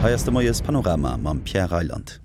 Hei ass de Moies Panorama mam Pierre Reyland.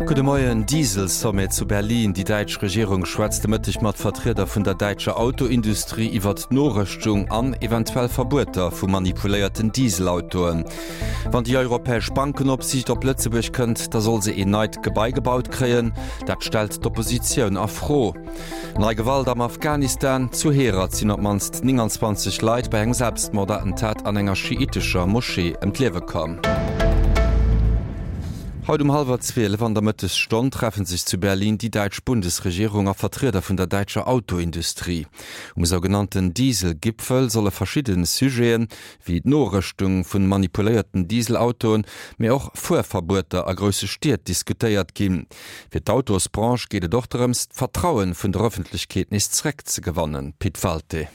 Gudde Moien. Diesel-Sommet zu Berlin, Déi däitsch Regierung schwätzt de Mëtteg mat Vertrieder vun der däitscher Autoindustrie iwwert d'Norëschtung an eventuell Verbueter vu manipuléierten Dieselautoen. Wann déi europäesch Bankenopsiicht op Lëtzebuerg kënnt, da soll se een neit Gebai gebaut kréien. Dat stellt d'Oppositioun a Fro. Nei Gewalt am Afghanistan, Zu Herat sinn op d'mannst 29 Leit bei engem Selbstmordattentat an enger schiitescher Moschee ëm d'Liewe komm. Haut um hallwer 12 an der Mëttesstonn treffe sech zu Berlin déi däitsch Bundesregierung a Vertrieder vun der däitscher Autoindustrie. Um sougenannten Diesel-Gipfel solle verschidde Sujeten, wéi d'Norëschtung vun manipuléierten Dieselautoen, mee och Fuerverbueter a grousse Stied diskutéiert ginn. Fir d'Autosbranche geet et och drëms, d'Vertrauen vun der Ëffentlechkeet nees zeréckzegewannen. Pit Walté.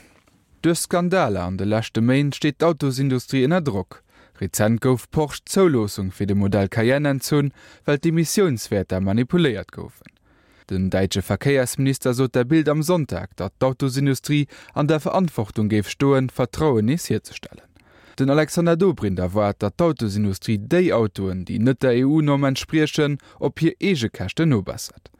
Duerch Skandaler an de leschte Méint steet d'Autosindustrie ënner Drock. Rezent gouf Porsche d'Zouloossung fir de Modell Cayenne entzunn, well d'Emissiounswäerter manipuléiert goufen. Den däitsche Verkéiersminister sot der Bild am Sonntag, datt d'Autosindustrie an der Verantwortung géif stoen, Vertrauen nees hierzestellen. Den Alexander Dobrindt erwaart, datt d'Autosindustrie déi Autoen, déi net der EU-Norm entspriechen, op hir eege Käschten nobessert.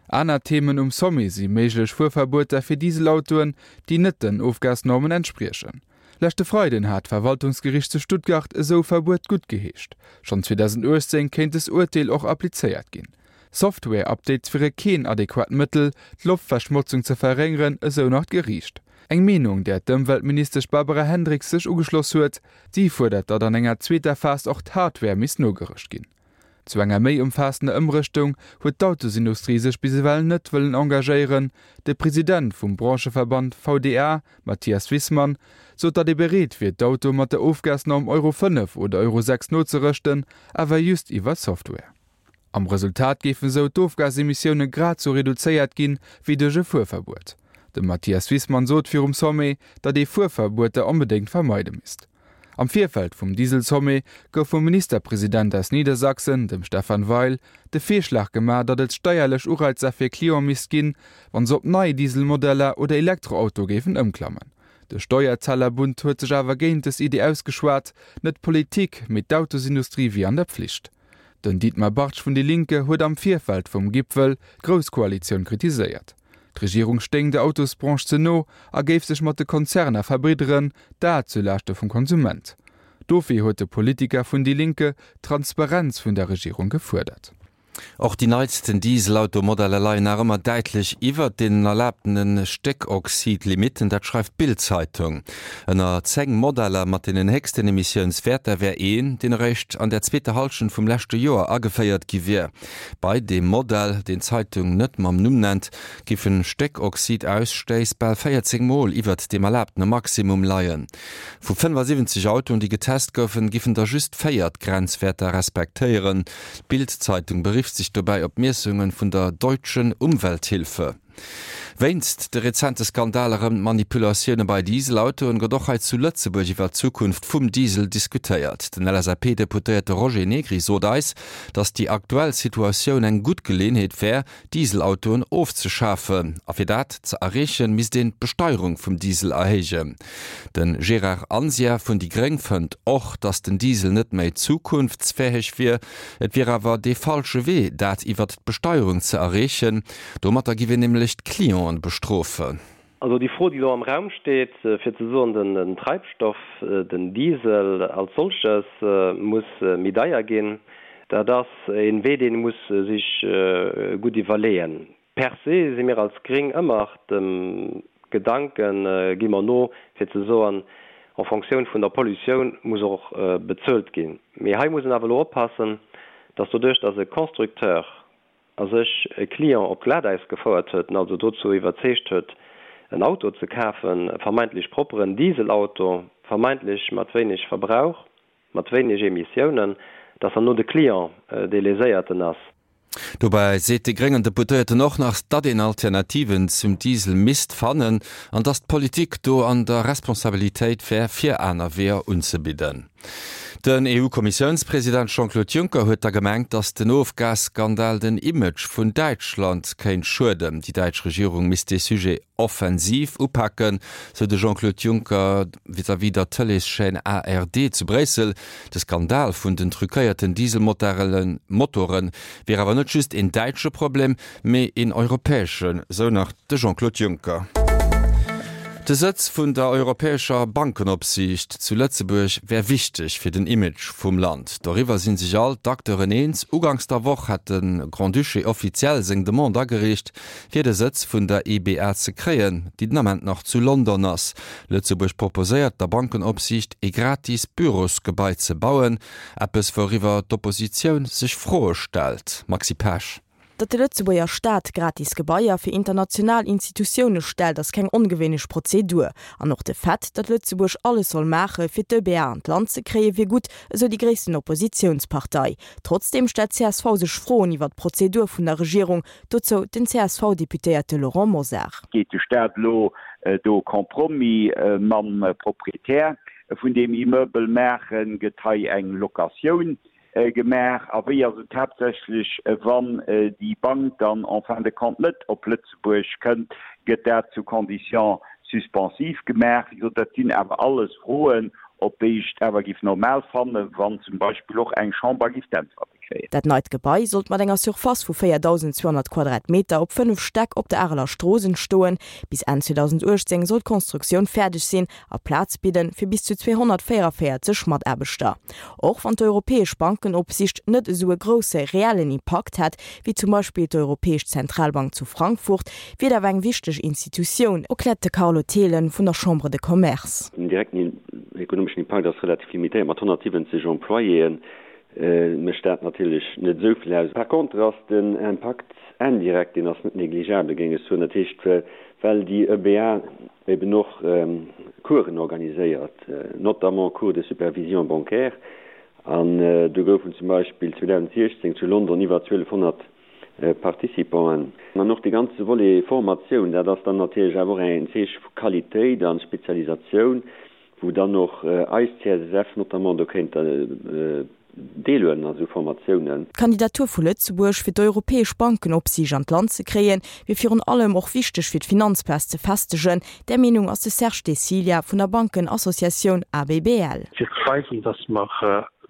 Aner Themen um Sommet si méiglech Fuerverbueter fir Dieselautoen, déi net den Ofgasnormen entspriechen. Leschte Freiden hat d'Verwaltungsgericht zu Stuttgart esou Verbuet guttgeheescht. Schonn 2018 kéint des Urteel och applizéiert ginn. Software-Updates wiere keen adequat Mëttel, d'Loftverschmotzung ze verréngeren, esou nach d'Geriicht. Eng Meenung, där d'Ëmweltministesch Barbara Hendricks sech ugeschloss huet. Si fuerdert, datt an enger zweeter Phas och d'Hardware misst nogerëscht ginn. Zu enger méi ëmfaassender Ëmrëschtung huet d'Autosindustrie sech bis ewell net wëllen engagéieren. De President vum Brancheverband VDA, Mathias Wissmann, sot, datt ee bereet wier, d'Autoe mat der Ofgasnorm Euro 5 oder Euro 6 nozerëschten, awer just iwwer Software. Am Resultat géifen esou d'Ofgasemissioune grad sou reduzéiert ginn, wéi duerch e Fuerverbuet. De Mathias Wissmann sot virum Sommet, datt ee Fuerverbueter onbedéngt vermeide misst. Am Virfeld vum Diesel-Sommet gouf vum Ministerpresident aus Niedersachsen, dem Stephan Weil, de Virschlag gemaach, datt et steierlech Ureizer fir Cliente misst ginn, wann se op nei Diesel-Modeller oder Elektroautoe géifen ëmklammen. De Steuerzahlerbund huet sech awer géint dës Idee ausgeschwat, net d'Politik, mee d'Autosindustrie wier an der Pflicht. Den Dietmar Bartsch vun Die Linke huet am Virfeld vum Gipfel d'Grouss-Koalitioun kritiséiert. D'Regierung stéing der Autosbranche ze no a géif sech mat de Konzerner verbridderen, dat zu Laaschte vum Konsument. Dofir huet de Politiker vun Die Linke d'Transparenz vun der Regierung gefuerdert. Och déi neitsten Dieselauto-Modeller leien nach ëmmer däitlech iwwert deenen erlaabtene Stéckoxid-Limitten, dat schreift d'Bild-Zeitung. Ënner 10 Modeller mat deenen héchsten Emissiounswäerter wär een, deen eréischt an der zweeter Hallschent vum leschte Joer ageféiert gi wier. Bei deem Modell, deen d'Zeitung net mam Numm nennt, giffen Stéckoxidausstéiss bal 14 Mol iwwert deem erlaabtene Maximum leien. Vu 75 Autoen, déi getest goufen, giffen der just 4 d'Grenzwäerter respektéieren. D'Bild-Zeitung berifft sech dobäi op Miessunge vun der Deutschen Umwelthilfe. Wéinst de rezente Skandaler ëm d'Manipulatioune bei Dieselautoen gëtt och hei zu Lëtzebuerg iwwer d'Zukunft vum Diesel diskutéiert. Den LSAP-Deputéierte Roger Negri sot eis, datt déi aktuell Situatioun eng gutt Geleeënheet wär, Dieselautoen ofzeschafen. A fir dat ze erreechen, misst een d'Besteierung vum Diesel erhéijen. De Gérard Anzia vun déi gréng fënnt och, datt den Diesel net méi zukunftsfäeg wier. Et wier awer dee falsche Wee, dat iwwert d'Besteierung ze erreechen. Domatter giff een nämlech d'Clienten bestrofen. Also déi Fro, déi elo am Raum steet, fir ze soen, den Treibstoff, den Diesel als solches muss méi deier ginn, dat ass e Wee, deen ee muss sech gutt iwwerleeën. Per se si mir als Gréng ëmmer dem Gedanken, gi mer no, fir ze soen, en Fonctioun vun der Pollutioun muss och bezuelt ginn. Mee hei muss een awer elo oppassen, dass doduerch, dass e Constructeur a sech e Client op d'Glatäis gefouert huet, en also dozou iwwerzeegt huet, en Auto ze kafen, e vermeintlech propperen Dieselauto, vermeintlech mat wéineg Verbrauch, mat wéineg Emissiounen, dass herno de Client dee Léséierten ass. Dobäi seet de gréngen Deputéierten och nach, datt een Alternativen zum Diesel misst fannen an datt d'Politik do an der Responsabilitéit wär, fir aner Weeër unzebidden. Den EU-Kommissiounspresident Jean-Claude Juncker huet da gemengt, datt den Ofgasskandal den Image vun Däitschland kéint schueden. Déi däitsch Regierung misst dee Sujet offensiv upaken, sou de Jean-Claude Juncker vis-à-vis der Tëleeschaîne ARD zu Bréissel. De Skandal vun den truquéierten Dieselmotore wier awer net just een däitsche Problem, mee een europäeschen, sou nach de Jean-Claude Juncker. De Sëtz vun der europäescher Bankenopsiicht zu Lëtzebuerg wär wichteg fir den Image vum Land. Doriwwer si sech all d'Acteuren eens. Uganks der Woch hat de Grand-Duché offiziell seng Demande agereecht, fir de Sëtz vun der EBA ze kréien, déi den Ament nach zu London ass. Lëtzebuerg proposéiert der Bankenopsiicht ee gratis Bürosgebai ze bauen, eppes wouriwwer d'Oppositioun sech Froe stellt. Maxi Pesch. Datt de Lëtzebuerger Staat gratis Gebaier fir international Institutioune stellt, ass keng ongewéinlech Prozedur. An och de Fait, datt Lëtzebuerg alles soll maache fir d'EBA an d'Land ze kréien, wier gutt, esou déi gréissten Oppositiounspartei. Trotzdeem stellt csv sech Froen iwwer d'Prozedur vun der Regierung. Dozou den CSV-Deputéierte Laurent Mosar. Geet de Staat elo do Compromis mam Proprietär vun deem Immeuble maachen? Gëtt hei eng Locatioun Gemaach. A wéi ass et haaptsächlech, wann déi Bank dann en fin de compte net op Lëtzebuerg kënnt? Gëtt dat sous conditions suspensives gemaach? Wéi gesot, dat sinn awer alles Froen, op déi ech et awer géif normal fannen, wann zum Beispill och eng Chamber géif d'Äntwerte kréien. Dat neit Gebai sollt mat enger Surface vu 4.200 Quadratmeter op 5 Stäck op der Areler Strooss entstoen. Bis Enn 2018 soll d'Konstruktioun fäerdeg sinn a Plaz bidden fir bis zu 244 Mataarbechter. Och wann d'Europäesch Bankenopsicht net esou e grousse reellen Impakt hätt, wéi zum Beispill d'Europäesch Zentralbank zu Frankfurt, wier et awer eng wichteg Institutioun, erkläert de Carlo Thelen vun der Chambre de Commerce. Den direkten ekonomeschen Impakt ass relativ limitéiert, mat 170 Employéen mécht dat natierlech net esou vill aus. Par contre ass den Impakt indirect, deen ass net négligeabel, géing ech soen. Dat heescht, well déi EBA eben och Coursen organiséiert, notamment Cours de supervision bancaire, an do goufen zum Beispill 2016 zu London iwwer 1200 Participanten. An och de ganze Volet Formatioun, dat ass dann natierlech awer och en Zeeche vu Qualitéit a Spezialisatioun, wou dann och eis CSSF notamment do kéint deelhuelen a sou Formatiounen. D'Kandidatur vu Lëtzebuerg fir d'europäesch Bankenopsiicht an d'Land ze kréien, wier virun allem och wichteg fir d'Finanzplaz ze festegen. Där Meenung ass de Serge De Cilia vun der Bankenassociatioun ABBL. Fir ze weisen, datt mer,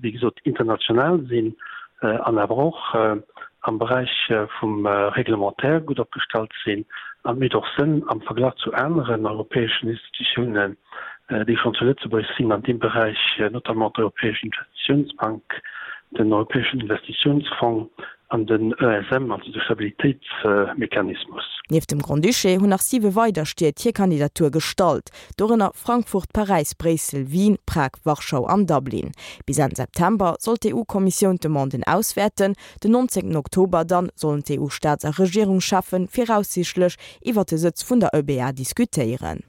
wéi gesot, international sinn an awer och am Beräich vum Réglementaire gutt opgestallt sinn. An et mécht och Sënn am Verglach zu aneren europäeschen Institutiounen, déi schonn zu Lëtzebuerg sinn an deem Beräich, notamment d'Europäesch Investitiounsbank, den Europäeschen Investitiounsfong an den ESM, also de Stabilitéitsmechanismus. Nieft dem Grand-Duché hunn nach siwe weider Stied hir Kandidatur gestallt, dorënner Frankfurt, Paräis, Bréissel, Wien, Prag, Warschau an Dublin. Bis Enn September soll d'EU-Kommissioun d'Demanden auswäerten. Den 19 Oktober dann sollen d'EU-Staats a Regierungscheffe viraussiichtlech iwwer de Sëtz vun der EBA diskutéieren.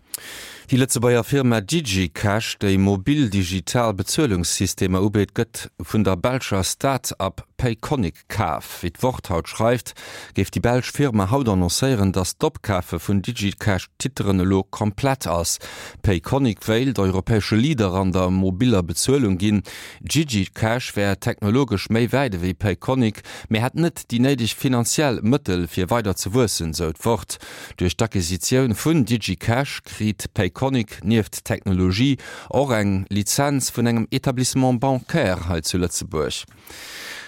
Déi Lëtzebuerger Firma DigiCash, déi mobil digital Bezuelungssystemer ubitt, gëtt vun der belscher Start-Up Payconiq kaf. Wéi d'Wort haut schreift, géif déi belsch Firma haut annoncéieren, datt d'Opkafe vun DigiCash-Titeren elo komplett ass. Payconiq wéilt europäesche Leader an der mobiller Bezuelung ginn. DigiCash wär technologesch méi wäit ewéi Payconiq, mee hätt net déi néideg finanziell Mëttel fir weider ze wuessen, sou d'Wort. Duerch d'Acquisitioun vun DigiCash kriit Payconiq nieft Technologie och eng Lizenz vun engem Etablissement bancaire hei zu Lëtzebuerg.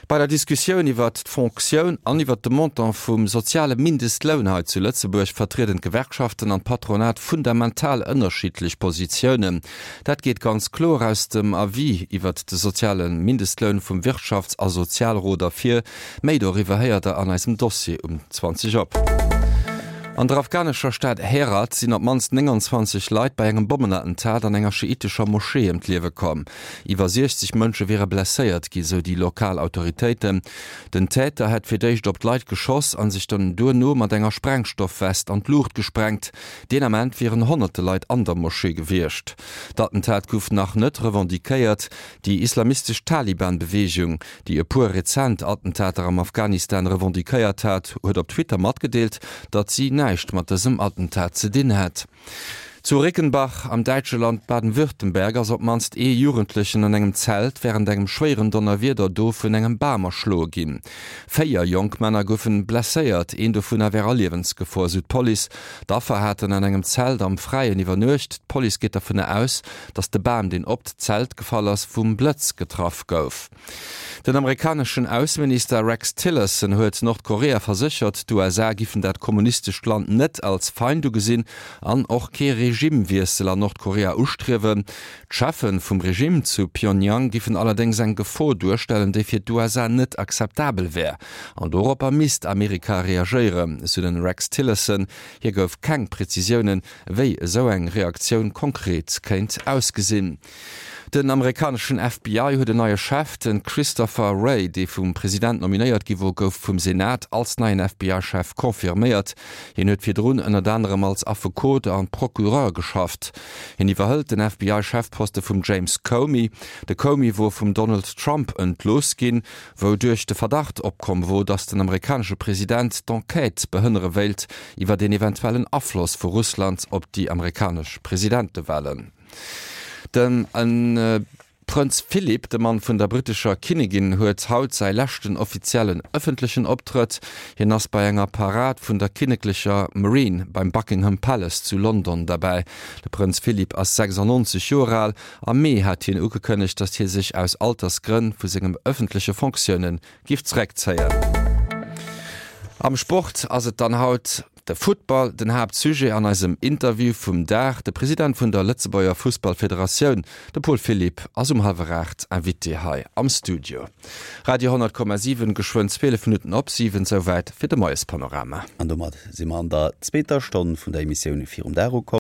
Bei der Diskussioun iwwert d'Fonctioun an iwwert de Montant vum soziale Mindestloun hei zu Lëtzebuerg vertrieden d'Gewerkschaften an d'Patronat fundamental ënnerschiddlech Positiounen. Dat geet ganz kloer aus dem Avis iwwert de soziale Mindestloun vum Wirtschafts a Sozialrot ervir, Méi doriwwer héiert der an eisem Dossier um 20 op. An der afghanescher Stad Herat sinn op d'mannst 29 Leit bei engem Bommenattentat an enger schiitescher Moschee ëm d'Liewe komm. Iwwer 60 Mënsche wiere blesséiert gi, sou déi lokal Autoritéiten. Den Täter hätt fir d'éischt op d'Leit geschoss a sech dann duerno mat enger Sprengstoffwest an d'Luucht gesprengt. Deen Ament wieren honnerte Leit an der Moschee gewiescht. D'Attentat gouf nach net revendiquéiert. Déi islamistesch Taliban-Beweegung, déi e puer rezent Attentater am Afghanistan revendiquéiert hat, huet op Twitter matgedeelt, datt si näischt mat dësem Attentat ze dinn hätt. Zu Rickenbach am däitsche Land Baden-Württemberg ass op d'mannst ee Jugendlechen an engem Zelt wärend engem schwéieren Donnerwieder do vun engem Bam erschloe ginn. 4 jonk Männer goufen blesséiert, een dovunner wär a Liewensgefor, sou d'Police. D'Affer haten an engem Zelt am Fräien iwwernuecht. D'Police geet dovunner aus, datt de Bam, deen op d'Zelt gefall ass, vum Blëtz getraff gouf. Den amerikaneschen Ausseminister Rex Tillerson huet Nordkorea verséchert, d'USA giffen dat kommunistescht Land net als Feind ugesinn an och kee Regimewiessel an Nordkorea ustriewen. D'Cheffe vum Regime zu Pyongyang giffen allerdéngs eng Gefor duerstellen, déi fir d'USA net akzeptabel wär. An doropper misst Amerika reagéieren, sou den Rex Tillerson. Hie gouf keng Prezisiounen, wéi esou eng Reaktioun konkret kéint ausgesinn. Den amerikaneschen FBI huet en neie Chef. De Christopher Wray, dee vum President nominéiert gi wor, gouf vum Senat als neien FBI-Chef confirméiert. Hien huet virdrun ënnert anerem als Affekot a Procureur geschafft. Hien iwwerhëlt den FBI-Chefposte vum James Comey. De Comey wor vum Donald Trump entlooss ginn, wouduerch de Verdacht opkomm wor, datt den amerikanesche President d'Enquête behënnere wéilt iwwer een eventuellen Afloss vu Russland op déi amerikanesch Presidentewalen. De Prënz Philip, de Mann vun der brittescher Kinnigin, huet haut säi leschten offiziellen ëffentlechen Optrëtt. Hien ass bei enger Parad vun der kinneklecher Marine beim Buckingham Palace zu London derbäi. De Prënz Philip ass 96 Joer al. Am Mee hat hien ugekënnegt, datt hie sech aus Altersgrënn vu sengem ëffentleche Fonctioune giff zeréckzéien. Am Sport ass et dann haut De Futtball, den Haaptsujet an eisem Interview vum Dag. De President vun der Lëtzebuerger Fussballfederatioun, de Paul Philipp, ass um hallwer 8 Invité hei am Studio. Radio 10,7, geschwënn 12 Minutten op 7, souwäit fir de Moiespanorama. An domat si mer an der zweeter Stonn vun der Emissioun Virum Dag ukomm.